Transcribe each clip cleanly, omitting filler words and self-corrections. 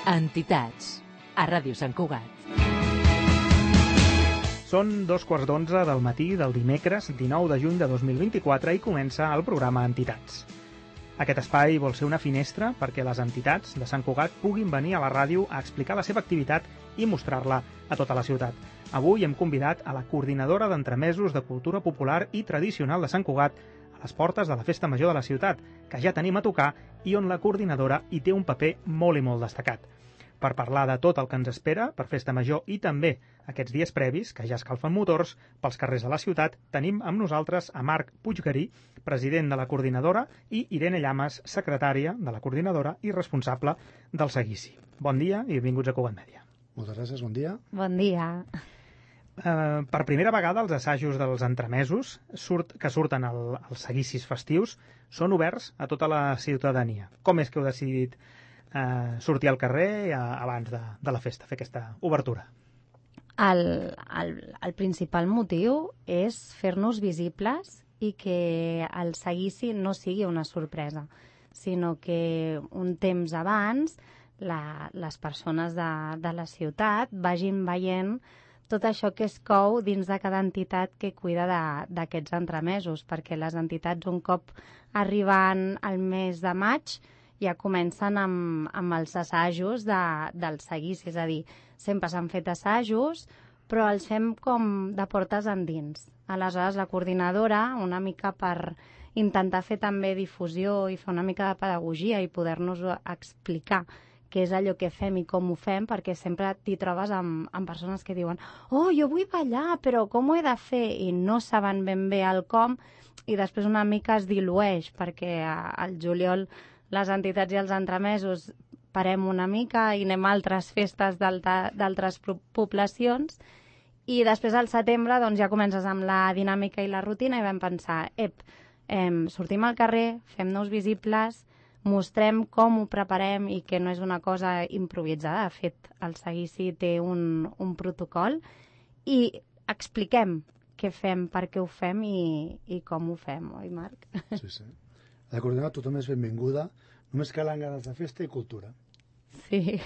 Entitats, a Ràdio Sant Cugat. Són 2:15 del matí del dimecres 19 de juny de 2024 i comença el programa Entitats. Aquest espai vol ser una finestra perquè les entitats de Sant Cugat puguin venir a la ràdio a explicar la seva activitat i mostrar-la a tota la ciutat. Avui hem convidat a la coordinadora d'entremesos de cultura popular i tradicional de Sant Cugat a les portes de la Festa Major de la ciutat, que ja tenim a tocar i on la coordinadora hi té un paper molt i molt destacat. Per parlar de tot el que ens espera per Festa Major i també aquests dies previs, que ja escalfen motors pels carrers de la ciutat, tenim amb nosaltres a Marc Puiggarí, president de la coordinadora, i Irene Llamas, secretària de la coordinadora i responsable del seguici. Bon dia i benvinguts a Cugat Mèdia. Moltes gràcies, bon dia. Bon dia. Per primera vegada els assajos dels entremesos que surten als seguicis festius són oberts a tota la ciutadania. Com és que heu decidit sortir al carrer abans de la festa, fer aquesta obertura? El principal motiu és fer-nos visibles i que el seguici no sigui una sorpresa, sinó que un temps abans les persones de la ciutat vagin veient tot això que es cou dins de cada entitat que cuida d'aquests entremesos, perquè les entitats un cop arribant al mes de maig ja comencen amb els assajos del seguici, és a dir, sempre s'han fet assajos, però els fem com de portes endins. Aleshores, la coordinadora, una mica per intentar fer també difusió i fer una mica de pedagogia i poder-nos explicar què és allò que fem i com ho fem, perquè sempre t'hi trobes amb persones que diuen «Oh, jo vull ballar, però com ho he de fer?» i no saben ben bé el com, i després una mica es dilueix, perquè al juliol les entitats i els entremesos parem una mica i anem a altres festes d'altres poblacions, i després al setembre doncs, ja comences amb la dinàmica i la rutina i vam pensar sortim al carrer, fem-nos visibles, mostrem com ho preparem i que no és una cosa improvisada. De fet, el seguici té un protocol i expliquem què fem, per què ho fem i com ho fem, oi, Marc? Sí. A la coordinadora tothom és benvinguda, només calen ganes de festa i cultura. Sí.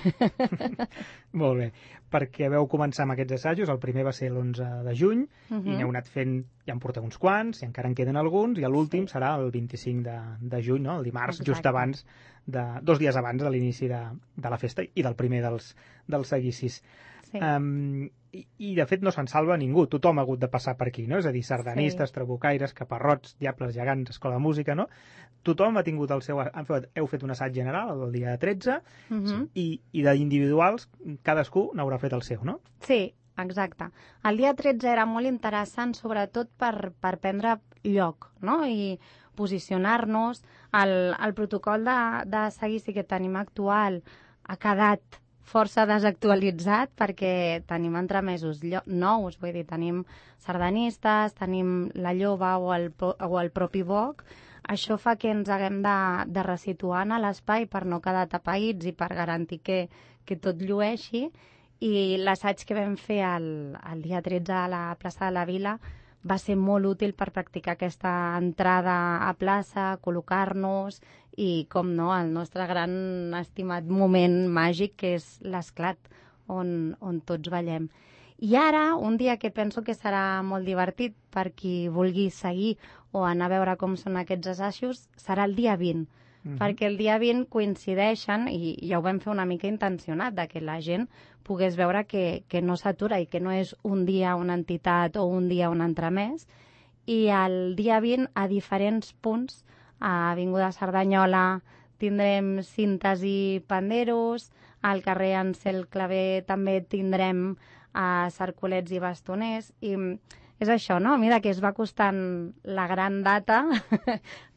Molt bé, perquè vau començar amb aquests assajos, el primer va ser l'11 de juny, i n'heu anat fent, ja en porteu uns quants, i encara en queden alguns, i l'últim serà el 25 de juny, no? El dimarts, exacte, just abans, 2 dies abans de l'inici de la festa i del primer dels seguicis. Sí. I de fet no se'n salva ningú, tothom ha hagut de passar per aquí, no? És a dir, sardanistes, sí, trabucaires, caparrots, diables, gegants, escola de música, no? Tothom ha tingut el seu... Heu fet un assaig general el dia 13 i d'individuals cadascú n'haurà fet el seu, no? Sí, exacte. El dia 13 era molt interessant, sobretot per prendre lloc, no? I posicionar-nos. El protocol de seguici que tenim actual ha quedat força desactualitzat perquè tenim entremesos nous, vull dir, tenim sardanistes, tenim la lloba o el propi boc. Això fa que ens haguem de resituar en l'espai per no quedar tapaïts i per garantir que tot llueixi. I l'assaig que vam fer el dia 13 a la plaça de la Vila va ser molt útil per practicar aquesta entrada a plaça, col·locar-nos i, com no, el nostre gran estimat moment màgic, que és l'esclat, on tots ballem. I ara, un dia que penso que serà molt divertit per qui vulgui seguir o anar a veure com són aquests assajos, serà el dia 20, perquè el dia 20 coincideixen, i ja ho vam fer una mica intencionat, que la gent pogués veure que no s'atura i que no és un dia una entitat o un dia un entremès. I el dia 20, a diferents punts, a Avinguda Cerdanyola tindrem cintes i panderos, al carrer Ansel Clavé també tindrem cercolets i bastoners, i és això, no? A mesura que es va costant la gran data,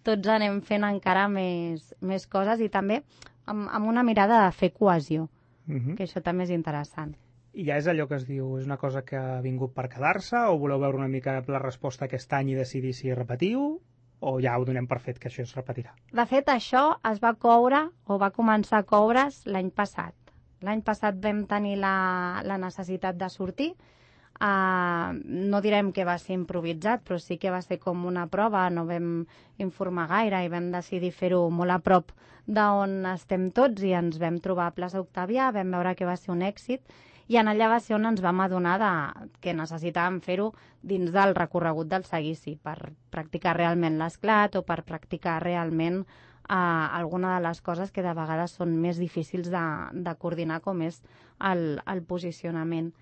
tots anem fent encara més coses i també amb una mirada de fer cohesió, que això també és interessant. I ja és allò que es diu, és una cosa que ha vingut per quedar-se, o voleu veure una mica la resposta aquest any i decidir si repetiu, o ja ho donem per fet que això es repetirà? De fet, això es va coure, o va començar a coure's l'any passat. L'any passat vam tenir la necessitat de sortir. No direm que va ser improvisat, però sí que va ser com una prova, no vam informar gaire i vam decidir fer-ho molt a prop d'on estem tots i ens vam trobar a plaça Octavià, vam veure que va ser un èxit i en allà va ser on ens vam adonar que necessitàvem fer-ho dins del recorregut del seguici per practicar realment l'esclat o per practicar realment alguna de les coses que de vegades són més difícils de coordinar, com és el posicionament.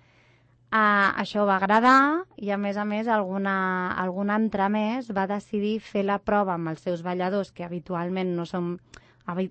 Això va agradar i, a més, algun entremès va decidir fer la prova amb els seus balladors, que habitualment no són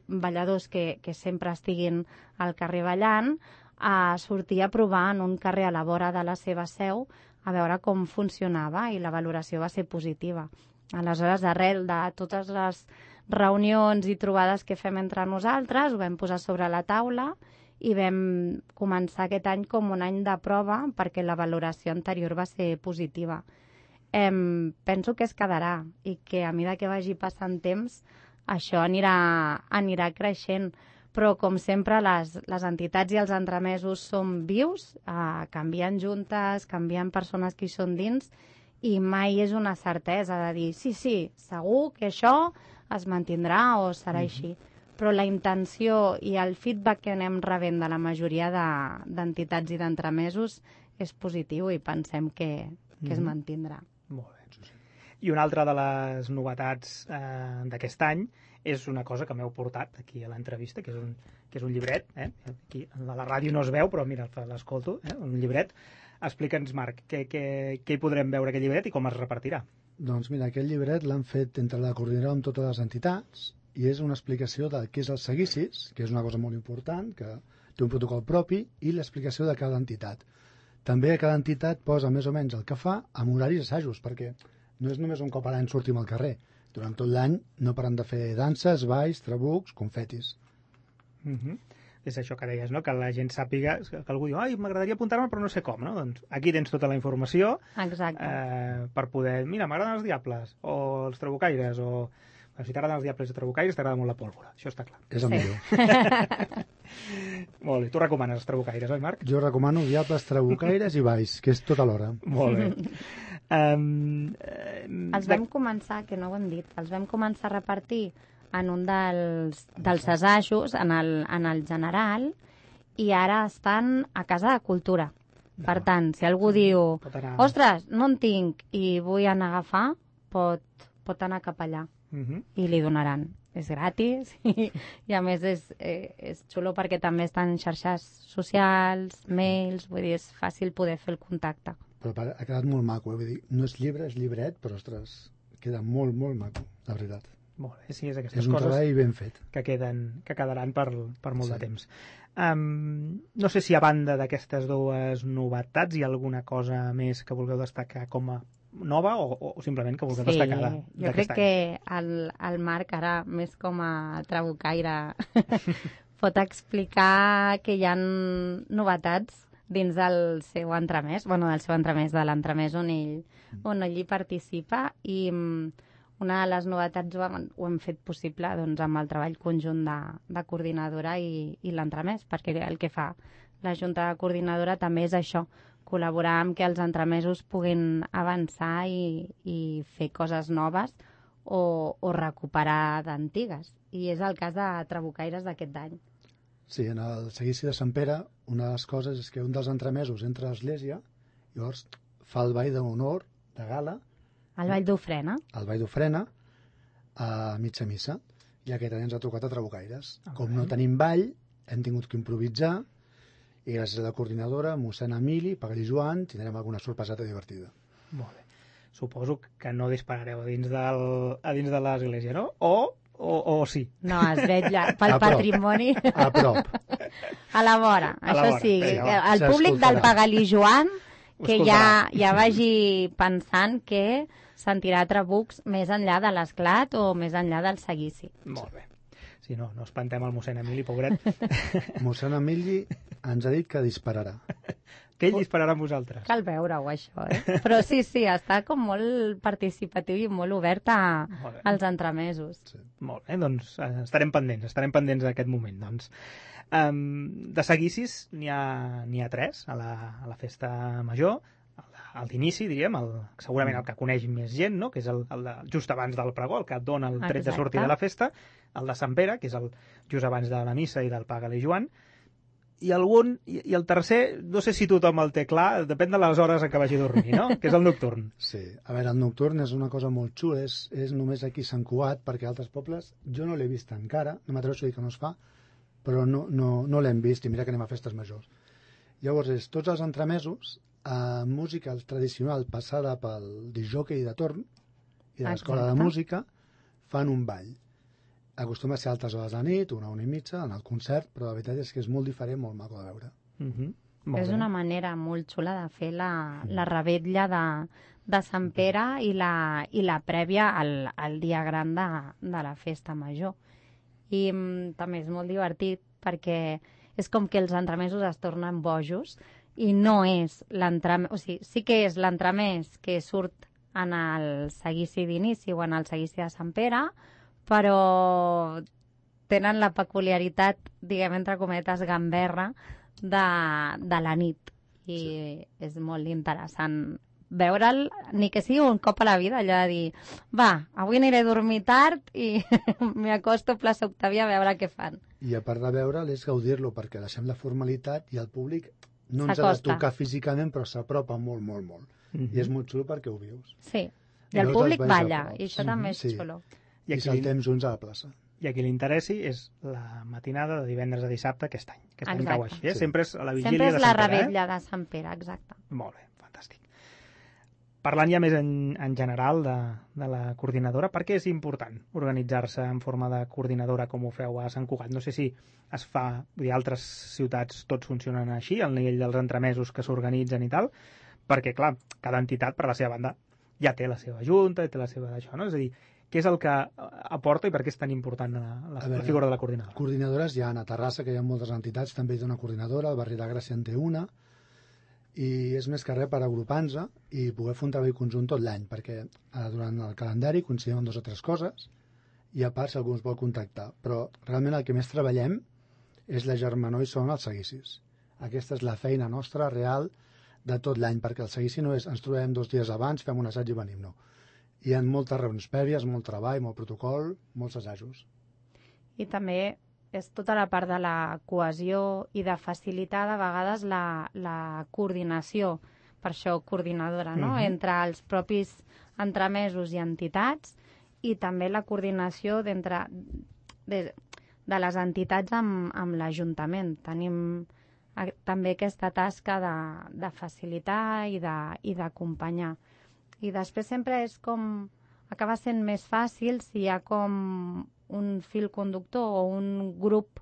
balladors que sempre estiguin al carrer ballant, a sortir a provar en un carrer a la vora de la seva seu a veure com funcionava i la valoració va ser positiva. Aleshores, arrel de totes les reunions i trobades que fem entre nosaltres, ho vam posar sobre la taula i vam començar aquest any com un any de prova perquè la valoració anterior va ser positiva. Penso que es quedarà i que a mesura que vagi passant temps això anirà creixent. Però, com sempre, les entitats i els entremesos són vius, canvien juntes, canvien persones que hi són dins i mai és una certesa de dir sí, segur que això es mantindrà o serà així. Però la intenció i el feedback que anem rebent de la majoria d'entitats i d'entremesos és positiu i pensem que es mantindrà. Molt bé. I una altra de les novetats d'aquest any és una cosa que m'heu portat aquí a l'entrevista, que és un llibret. Aquí a la ràdio no es veu, però mira, l'escolto, un llibret. Explica'ns, Marc, què hi podrem veure aquest llibret i com es repartirà? Doncs mira, aquest llibret l'han fet entre la coordinadora amb totes les entitats i és una explicació de què és el seguicis, que és una cosa molt important, que té un protocol propi, i l'explicació de cada entitat. També cada entitat posa més o menys el que fa amb horaris assajos, perquè no és només un cop a l'any sortim al carrer. Durant tot l'any no paren de fer danses, balls, trabucs, confetis. És això que deies, no? Que la gent sàpiga, que algú diu, m'agradaria apuntar-me però no sé com, no? Doncs aquí tens tota la informació. Exacte. Per poder, mira, m'agraden els diables, o els trabucaires, o si t'agraden els diables i trabucaires t'agrada molt la pólvora, això està clar. És el millor. Molt bé, tu recomanes els trabucaires, oi, Marc? Jo recomano diables, trabucaires i balls, que és tot alhora. Molt bé. Els vam començar, que no ho hem dit, els vam començar a repartir en un dels assajos, en el general, i ara estan a Casa de Cultura. Per tant, si algú diu, ostres, no en tinc i vull anar a agafar, pot anar cap allà i li donaran. És gratis i a més és xulo perquè també estan en xarxes socials, mails, vull dir, és fàcil poder fer el contacte. Però ha quedat molt maco, vull dir, no és llibre, és llibret, però ostres, queda molt, molt maco, la veritat. Molt bé, sí, és aquestes és un coses treball ben fet. Que quedaran per molt de temps. No sé si a banda d'aquestes dues novetats hi ha alguna cosa més que vulgueu destacar com a nova o simplement que vulgueu destacar d'aquest any. Jo crec que el Marc, ara més com a trabucaire, pot explicar que hi ha novetats dins del seu entremès, de l'entremès on ell hi participa, i una de les novetats ho hem fet possible amb el treball conjunt de coordinadora i l'entremès, perquè el que fa la Junta de Coordinadora també és això, col·laborar amb que els entremesos puguin avançar i fer coses noves o recuperar d'antigues. I és el cas de Trabucaires d'aquest any. Sí, en el seguici de Sant Pere, una de les coses és que un dels entremesos entra a l'església, llavors fa el ball d'honor, de gala. El ball d'ofrena. El ball d'ofrena a mitja missa. I aquest any ens ha tocat a Trabucaires. Com no tenim ball, hem tingut que improvisar, i gràcies a la coordinadora, mossèn Emili, Pagallí Joan, tindrem alguna sorpreseta divertida. Molt bé. Suposo que no disparareu a dins de l'església, no? O sí? No, es vetlla pel patrimoni. A prop. A la vora. Això sí, el públic del Pagallí Joan que ja vagi pensant que sentirà trabucs més enllà de l'esclat o més enllà del seguici. Molt bé. Si no espantem el mossèn Emili, pobret. Mossèn Emili ens ha dit que dispararà. Que ell dispararà amb vosaltres. Cal veure-ho, això, Però sí, està com molt participatiu i molt obert als entremesos. Sí. Molt bé, doncs estarem pendents d'aquest moment, doncs. De seguicis n'hi ha 3 a la festa major, el d'inici, diríem, segurament el que coneix més gent, no? Que és el de just abans del pregó, el que et dona el tret de sortir de la festa, el de Sant Pere, que és el just abans de la missa i del Pàgale Joan, i el tercer, no sé si tothom el té clar, depèn de les hores en què vagi a dormir, no? Que és el nocturn. Sí, a veure, el nocturn és una cosa molt xula, és només aquí a Sant Cugat, perquè a altres pobles jo no l'he vist encara, no m'atreveixo a dir que no es fa, però no l'hem vist, i mira que anem a festes majors. Llavors, tots els entremesos, música tradicional passada pel disjockey de torn i de l'escola de música, fan un ball. Acostuma a ser a altes hores de la nit, 1 i mitja, en el concert, però la veritat és que és molt diferent, molt maco de veure. És una manera molt xula de fer la revetlla de Sant Pere i la prèvia al dia gran de la festa major. I també és molt divertit perquè és com que els entremesos es tornen bojos i no és l'entremès, o sigui, sí que és l'entremès que surt en el seguici d'inici o en el seguici de Sant Pere, però tenen la peculiaritat, diguem, entre cometes, gamberra de la nit. I és molt interessant veure'l, ni que sigui un cop a la vida, allò de dir, va, avui aniré a dormir tard i m'hi acosto a plaça Octàvia a veure què fan. I a part de veure'l és gaudir-lo, perquè deixem la formalitat i el públic no ens ha de tocar físicament, però s'apropa molt, molt, molt. I és molt xulo perquè ho vius. Sí, i el públic balla, i això també és xulo. I saltem junts a la plaça. I a qui li interessi és la matinada de divendres a dissabte aquest any. Aquest any cau així, Sí. Sempre és a la vigília Sempre és de la Sant Pere. revetlla de Sant Pere, exacte. Molt bé, fantàstic. Parlant ja més en general de la coordinadora, per què és important organitzar-se en forma de coordinadora com ho feu a Sant Cugat? No sé si es fa, vull dir, altres ciutats tots funcionen així, al nivell dels entremesos que s'organitzen i tal, perquè, clar, cada entitat, per la seva banda, ja té la seva junta, té la seva d'això, no? És a dir, què és el que aporta i per què és tan important la figura de la coordinadora? Coordinadores hi ha a Terrassa, que hi ha moltes entitats, també hi ha una coordinadora, el barri de Gràcia en té una, i és més que res per agrupar-nos i poder fer un treball conjunt tot l'any, perquè durant el calendari coincidim en 2 o 3 coses, i a part si algú ens vol contactar. Però realment el que més treballem és la germanor i són els seguicis. Aquesta és la feina nostra real de tot l'any, perquè el seguici no és ens trobem 2 dies abans, fem un assaig i venim, no. Hi ha moltes reunions prèvies, molt treball, molt protocol, molts assajos. I també és tota la part de la cohesió i de facilitar de vegades la coordinació, per això coordinadora, no? Entre els propis entremesos i entitats, i també la coordinació de les entitats amb l'Ajuntament. Tenim també aquesta tasca de facilitar i d'acompanyar. I després sempre és com acaba sent més fàcil si hi ha com un fil conductor o un grup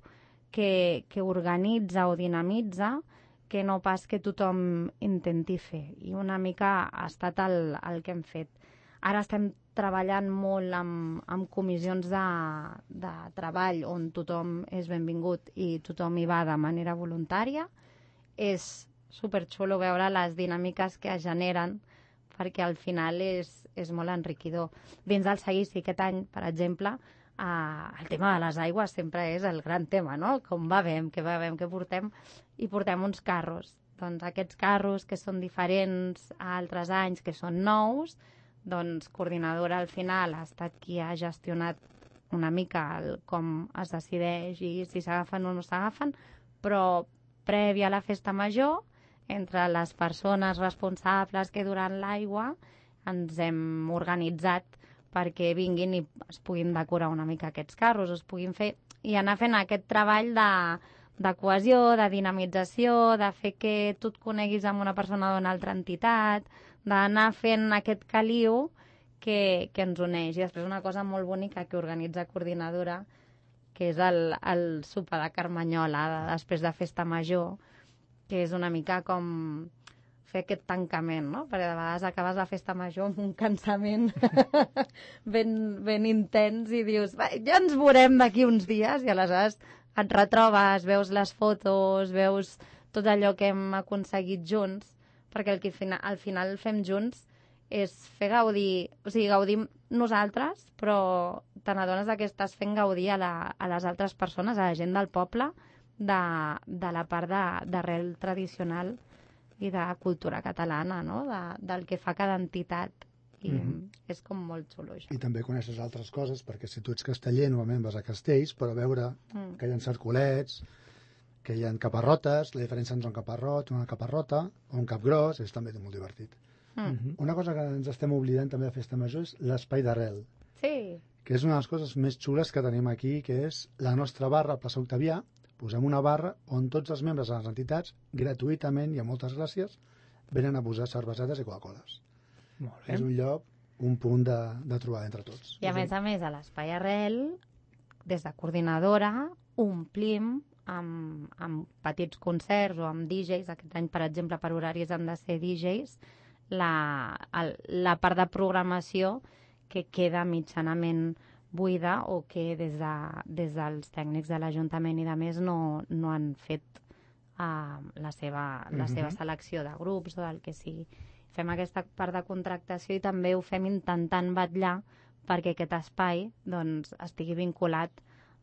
que organitza o dinamitza, que no pas que tothom intenti fer. I una mica ha estat el que hem fet. Ara estem treballant molt amb comissions de treball on tothom és benvingut i tothom hi va de manera voluntària. És superxulo veure les dinàmiques que es generen, perquè al final és molt enriquidor. Dins del seguici aquest any, per exemple, el tema de les aigües sempre és el gran tema, no? Com bevem, què portem, i portem uns carros. Doncs aquests carros que són diferents a altres anys, que són nous, doncs coordinadora al final ha estat qui ha gestionat una mica com es decideix i si s'agafen o no s'agafen, però prèvia a la festa major, entre les persones responsables que duran l'aigua, ens hem organitzat perquè vinguin i es puguin decorar una mica aquests carros, es puguin fer i anar fent aquest treball de cohesió, de dinamització, de fer que tu et coneguis amb una persona d'una altra entitat, d'anar fent aquest caliu que ens uneix. I després una cosa molt bonica que organitza Coordinadora, que és el sopar de Carmanyola després de Festa Major, que és una mica com fer aquest tancament, no? Perquè de vegades acabes la Festa Major amb un cansament ben intens i dius, ja ens veurem d'aquí uns dies, i aleshores et retrobes, veus les fotos, veus tot allò que hem aconseguit junts, perquè el que al final fem junts és fer gaudir, o sigui, gaudim nosaltres, però te n'adones que estàs fent gaudir a les altres persones, a la gent del poble, de la part d'arrel tradicional de cultura catalana, no? Del que fa cada entitat. I és com molt xulo, això. I també coneixes altres coses, perquè si tu ets casteller, normalment vas a castells, però veure que hi ha cercolets, que hi ha caparrotes, la diferència entre un caparrot, una caparrota o un capgròs, és també molt divertit. Una cosa que ens estem oblidant també de Festa Major és l'espai d'arrel, Sí. que és una de les coses més xules que tenim aquí, que és la nostra barra a Plaça Octavià. Posem una barra on tots els membres de les entitats, gratuïtament i amb moltes gràcies, venen a posar cervesetes i Coca-Coles. Molt bé. És un lloc, un punt de trobada entre tots. I a més, a l'Espai Arrel, des de coordinadora, omplim amb petits concerts o amb DJs. Aquest any, per exemple, per horaris han de ser DJs, la part de programació que queda mitjanament buida o que des dels tècnics de l'Ajuntament i de més no han fet la seva selecció de grups o del que sigui. Fem aquesta part de contractació i també ho fem intentant vetllar perquè aquest espai doncs, estigui vinculat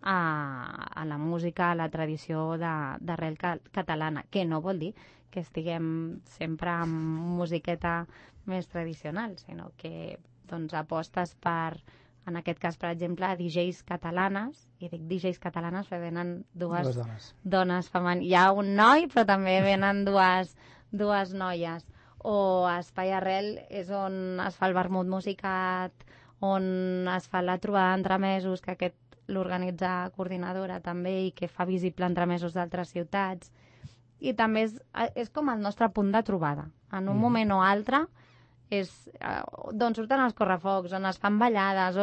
a la música, a la tradició d'arrel catalana, que no vol dir que estiguem sempre amb musiqueta més tradicional, sinó que doncs, apostes per, en aquest cas, per exemple, DJs catalanes, i dic DJs catalanes perquè venen dues dones femenines. Hi ha un noi, però també venen dues noies. O Espai Arrel és on es fa el vermut musicat, on es fa la trobada d'entremesos, que aquest l'organitza coordinadora també i que fa visible entremesos d'altres ciutats. I també és com el nostre punt de trobada. En un moment o altre és d'on surten els correfocs, on es fan ballades,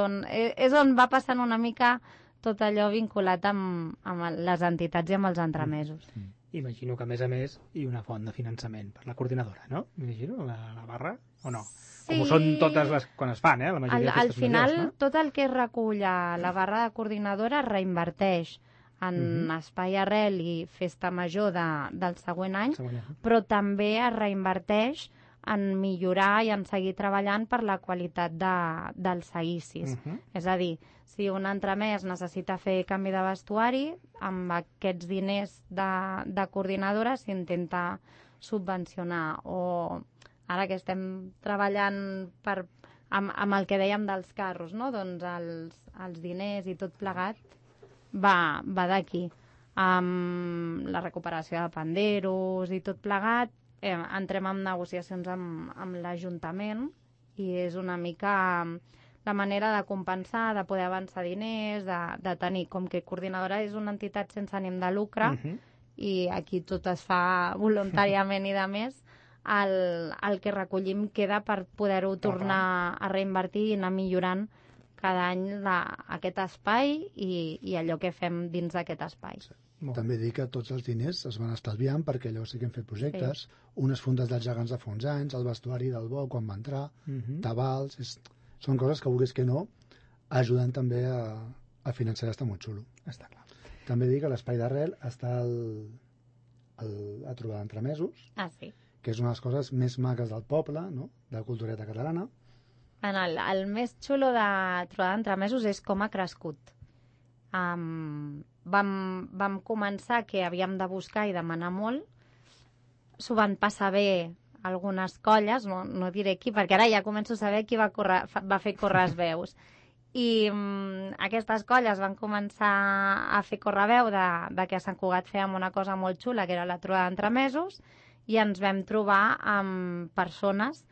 és on va passant una mica tot allò vinculat amb les entitats i amb els entremesos. Imagino que, a més, hi ha una font de finançament per la coordinadora, no? M'imagino, la barra, o no? Sí. Com ho són totes les quan es fan, la majoria de festes al final, majors, no? tot el que es recull a la barra de coordinadora es reinverteix en Espai Arrel i Festa Major del següent any, però també es reinverteix en millorar i en seguir treballant per la qualitat dels seguicis. És a dir, si un entremès necessita fer canvi de vestuari, amb aquests diners de coordinadora s'intenta subvencionar. O ara que estem treballant amb el que dèiem dels carros, no? Doncs els diners i tot plegat va d'aquí. Amb la recuperació de panderos i tot plegat, entrem en negociacions amb l'Ajuntament i és una mica la manera de compensar, de poder avançar diners, de tenir, com que coordinadora és una entitat sense ànim de lucre i aquí tot es fa voluntàriament i de més, el que recollim queda per poder-ho tornar a reinvertir i anar millorant cada any aquest espai i allò que fem dins d'aquest espai. També dir que tots els diners es van estalviant perquè llavors sí que hem fet projectes, unes fundes dels gegants de fa uns anys, el vestuari del bo quan va entrar, tabals, són coses que vulguis que no ajuden també a finançar, està molt xulo. Està clar. També dir que l'espai d'arrel està a trobar d'entremesos, que és una de les coses més maques del poble, no? De la cultureta catalana. El més xulo de trobar d'entremesos és com ha crescut. Vam començar que havíem de buscar i demanar molt, s'ho van passar bé algunes colles, no diré qui, perquè ara ja començo a saber qui va fer córrer les veus. I aquestes colles van començar a fer córrer veu de que a Sant Cugat fèiem una cosa molt xula, que era la trobada d'entremesos, i ens vam trobar amb persones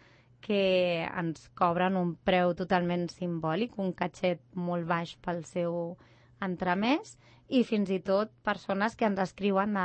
que ens cobren un preu totalment simbòlic, un catxet molt baix pel seu entremès, i fins i tot persones que ens escriuen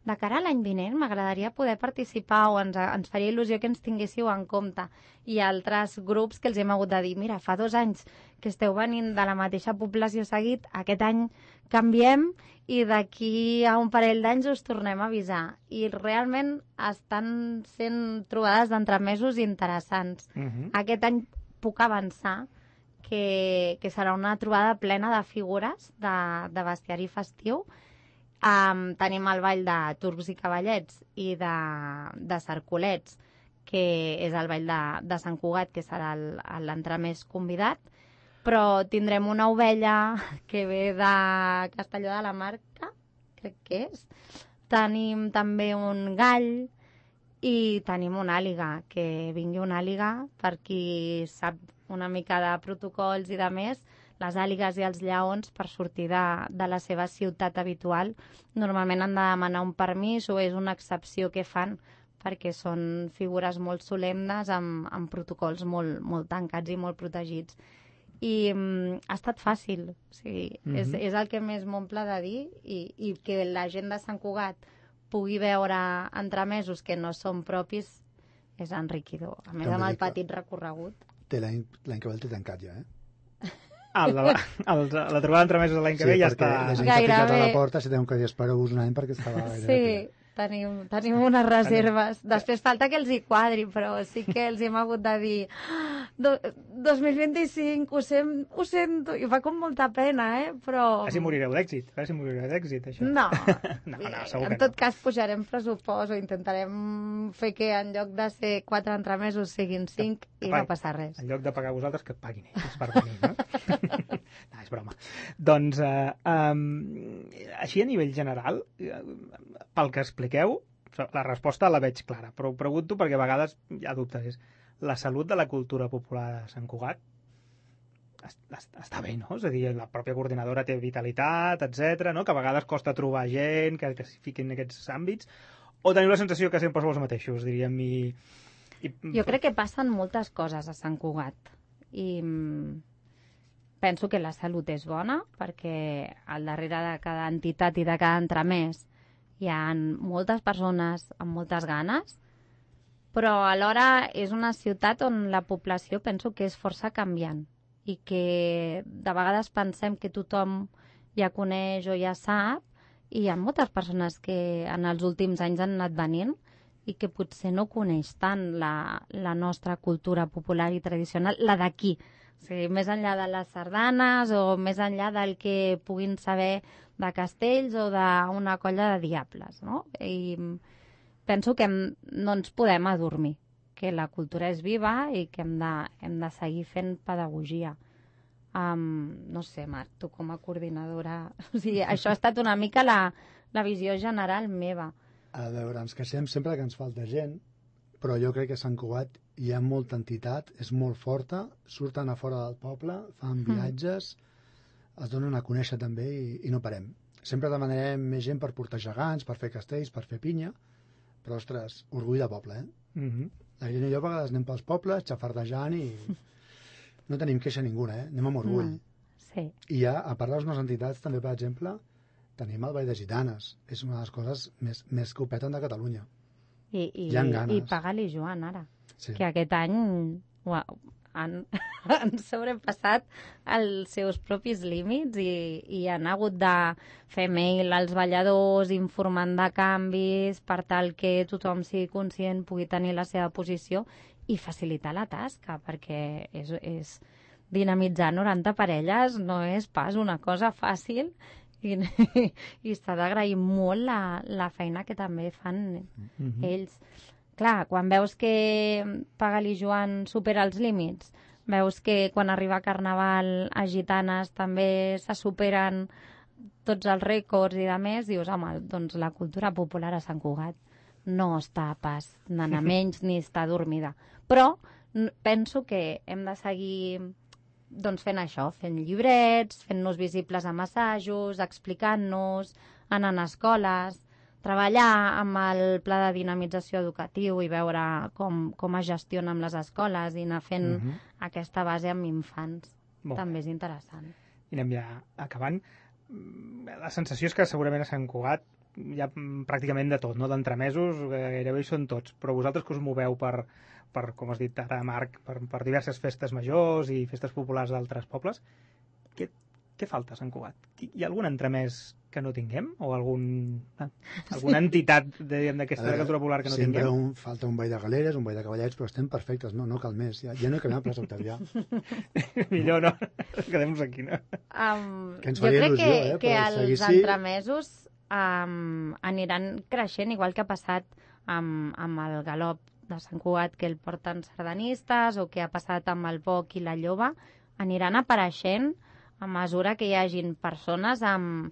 de cara a l'any vinent m'agradaria poder participar o ens faria il·lusió que ens tinguéssiu en compte. I altres grups que els hem hagut de dir, mira, fa 2 anys que esteu venint de la mateixa població seguit, aquest any canviem i d'aquí a un parell d'anys us tornem a avisar. I realment estan sent trobades d'entremesos interessants. Aquest any puc avançar que serà una trobada plena de figures de bestiari festiu. Tenim el ball de turcs i cavallets i de cercolets, que és el ball de Sant Cugat, que serà l'entremès convidat, però tindrem una ovella que ve de Castelló de la Marca, crec que és. Tenim també un gall I tenim una àliga, que vingui una àliga, per qui sap una mica de protocols i de més, les àligues i els lleons, per sortir de la seva ciutat habitual, normalment han de demanar un permís o és una excepció que fan perquè són figures molt solemnes amb protocols molt tancats i molt protegits. I ha estat fàcil, o sigui, és el que més m'omple de dir, i que la gent de Sant Cugat pugui veure entremesos que no són propis és enriquidor. A més, amb el petit recorregut. L'any que ve el té tancat ja, La trobada d'entremesos de l'any que ve ja està... La gent que ha picat a la porta si teniu que dir espereu-vos un any perquè estava gaire... Sí, tenim unes reserves. Després falta que els hi quadri, però sí que els hem hagut de dir 2025, ho sento, i fa com molta pena, però... Quasi morireu d'èxit, això. No, segur que en tot cas pujarem pressupost o intentarem fer que en lloc de ser 4 entremesos siguin 5 i no passa res. En lloc de pagar vosaltres, que et paguin ells per venir, no? No, és broma. Doncs, així a nivell general, pel que expliqueu, la resposta la veig clara, però ho pregunto perquè a vegades hi ha dubtes. La salut de la cultura popular de Sant Cugat està bé, no? És a dir, la pròpia coordinadora té vitalitat, etc, no? Que a vegades costa trobar gent que s'hi fiqui en aquests àmbits, o teniu la sensació que sempre sou els mateixos, diríem, Jo crec que passen moltes coses a Sant Cugat, i penso que la salut és bona, perquè al darrere de cada entitat i de cada entremès hi ha moltes persones amb moltes ganes, però alhora és una ciutat on la població penso que és força canviant i que de vegades pensem que tothom ja coneix o ja sap, i hi ha moltes persones que en els últims anys han anat venint i que potser no coneix tant la nostra cultura popular i tradicional, la d'aquí. O sigui, més enllà de les sardanes o més enllà del que puguin saber de castells o d'una colla de diables, no? I penso que no ens podem adormir, que la cultura és viva i que hem de seguir fent pedagogia. No sé, Marc, tu com a coordinadora... O sigui, això ha estat una mica la visió general meva. A veure, ens queixem sempre que ens falta gent, però jo crec que a Sant Cugat hi ha molta entitat, és molt forta, surten a fora del poble, fan viatges, es donen a conèixer també i no parem. Sempre demanarem més gent per portar gegants, per fer castells, per fer pinya, però, ostres, orgull de poble, La gent i jo a vegades anem pels pobles, xafardejant i no tenim queixa ninguna, anem amb orgull. Sí. I ja, a part de les nostres entitats, també, per exemple, tenim el Ball de Gitanes. És una de les coses més que ho peten de Catalunya. I paga-li Joan, ara. Sí. Que aquest any han sobrepassat els seus propis límits i han hagut de fer mail als balladors informant de canvis per tal que tothom sigui conscient, pugui tenir la seva posició i facilitar la tasca, perquè és dinamitzar 90 parelles no és pas una cosa fàcil i s'ha d'agrair molt la feina que també fan ells. Clar, quan veus que Paga-li Joan supera els límits, veus que quan arriba Carnaval a Gitanes també se superen tots els rècords i de més, dius, home, doncs la cultura popular a Sant Cugat no està pas anant a menys ni està dormida. Però penso que hem de seguir fent això, fent llibrets, fent-nos visibles amb assajos, explicant-nos, anant a escoles, treballar amb el pla de dinamització educatiu i veure com es gestiona amb les escoles i anar fent aquesta base amb infants. També és interessant. I anem ja acabant. La sensació és que segurament a Sant Cugat hi ha pràcticament de tot, no? D'entremesos gairebé hi són tots, però vosaltres que us moveu per com has dit ara, Marc, per diverses festes majors i festes populars d'altres pobles, què falta a Sant Cugat? Hi ha algun entremès que no tinguem? O alguna entitat d'aquesta cultura popular que no tinguem? Sempre falta un ball de galeres, un ball de cavallets, però estem perfectes, no cal més. Ja no he canviat plaça Octavià. Millor no, quedem-nos aquí, no? Que ens faria il·lusió, que els entremesos aniran creixent, igual que ha passat amb el galop de Sant Cugat, que el porten sardanistes, o que ha passat amb el boc i la lloba, aniran apareixent a mesura que hi hagin persones amb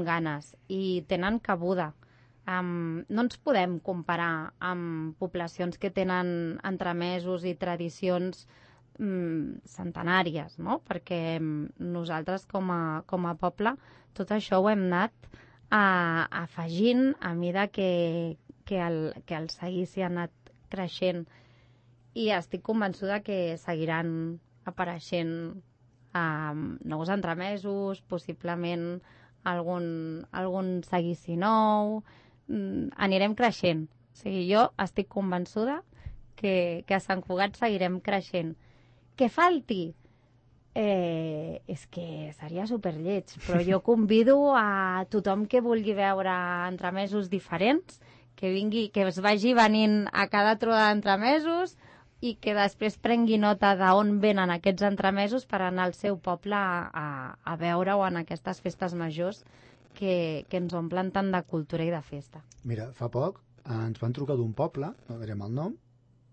ganes i tenen cabuda. no ens podem comparar amb poblacions que tenen entremesos i tradicions centenàries, no? Perquè nosaltres com a poble tot això ho hem anat afegint a mida que el seguici ha anat creixent, i estic convençuda que seguiran apareixent nous entremesos, possiblement algun seguici nou. Anirem creixent. O sigui, jo estic convençuda que a Sant Cugat seguirem creixent. Que falti? És que seria superlleig, però jo convido a tothom que vulgui veure entremesos diferents, que es vagi venint a cada trobada d'entremesos i que després prengui nota d'on venen aquests entremesos per anar al seu poble a veure-ho en aquestes festes majors que ens omplen tant de cultura i de festa. Mira, fa poc ens van trucar d'un poble, no direm el nom,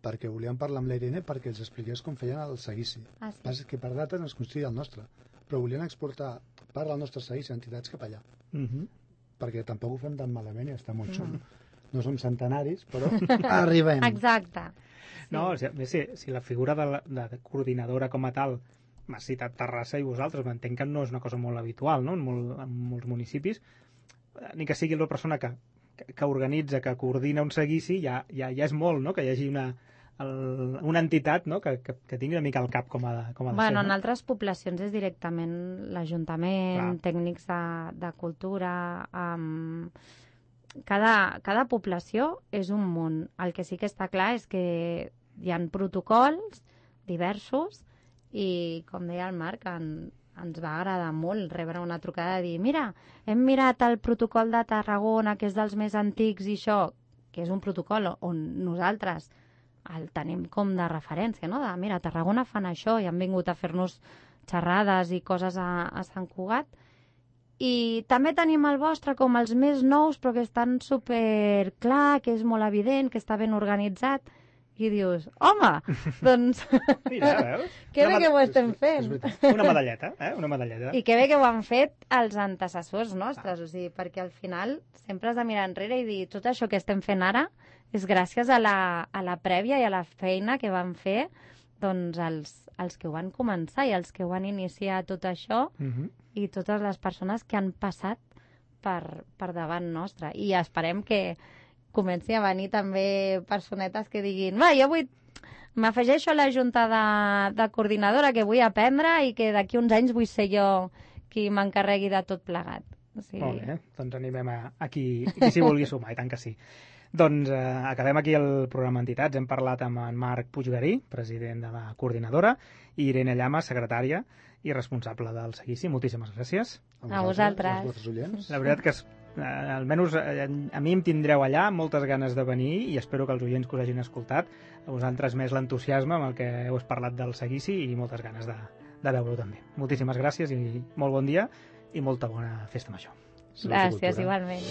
perquè volien parlar amb la Irene perquè els expliqués com feien el seguici. Sí. És que per dates ens considera el nostre, però volien exportar part del nostre seguici a entitats cap allà. Perquè tampoc ho fem tan malament i està molt xulo. No som centenaris, però arribem. Exacte. Sí. No, si la figura de coordinadora com a tal m'ha citat Terrassa i vosaltres, m'entenc que no és una cosa molt habitual, no? En molts municipis, ni que sigui la persona que organitza, que coordina un seguici, ja és molt, no? Que hi hagi una entitat, no? que tingui una mica el cap com ha de ser. No? En altres poblacions és directament l'Ajuntament, tècnics de cultura. Cada població és un món. El que sí que està clar és que hi ha protocols diversos i, com deia el Marc, ens va agradar molt rebre una trucada de dir mira, hem mirat el protocol de Tarragona, que és dels més antics i això, que és un protocol on nosaltres el tenim com de referència, no? De, mira, a Tarragona fan això i han vingut a fer-nos xerrades i coses a Sant Cugat. I també tenim el vostre com els més nous, però que estan super clar, que és molt evident, que està ben organitzat. I dius, home, doncs... Mira, veus? Que bé que ho estem fent. Una medalleta, Una medalleta. I que bé que ho han fet els antecessors nostres, o sigui, perquè al final sempre has de mirar enrere i dir tot això que estem fent ara és gràcies a la prèvia i a la feina que van fer doncs els que ho van començar i els que ho van iniciar tot això i totes les persones que han passat per davant nostre. I esperem que comenci a venir també personetes que diguin jo m'afegeixo a la junta de coordinadora que vull aprendre i que d'aquí uns anys vull ser jo qui m'encarregui de tot plegat. O sigui... Molt bé, doncs animem a qui s'hi vulgui sumar, i tant que sí. Doncs acabem aquí el programa Entitats. Hem parlat amb en Marc Puiggarí, president de la coordinadora, i Irene Llama, secretària i responsable del seguici. Moltíssimes gràcies. A vosaltres. Als vostres oients. La veritat que almenys a mi em tindreu allà, moltes ganes de venir, i espero que els oients que us hagin escoltat, a vosaltres més l'entusiasme amb el que heu parlat del seguici i moltes ganes de veure-ho també. Moltíssimes gràcies i molt bon dia i molta bona festa major. Gràcies, igualment.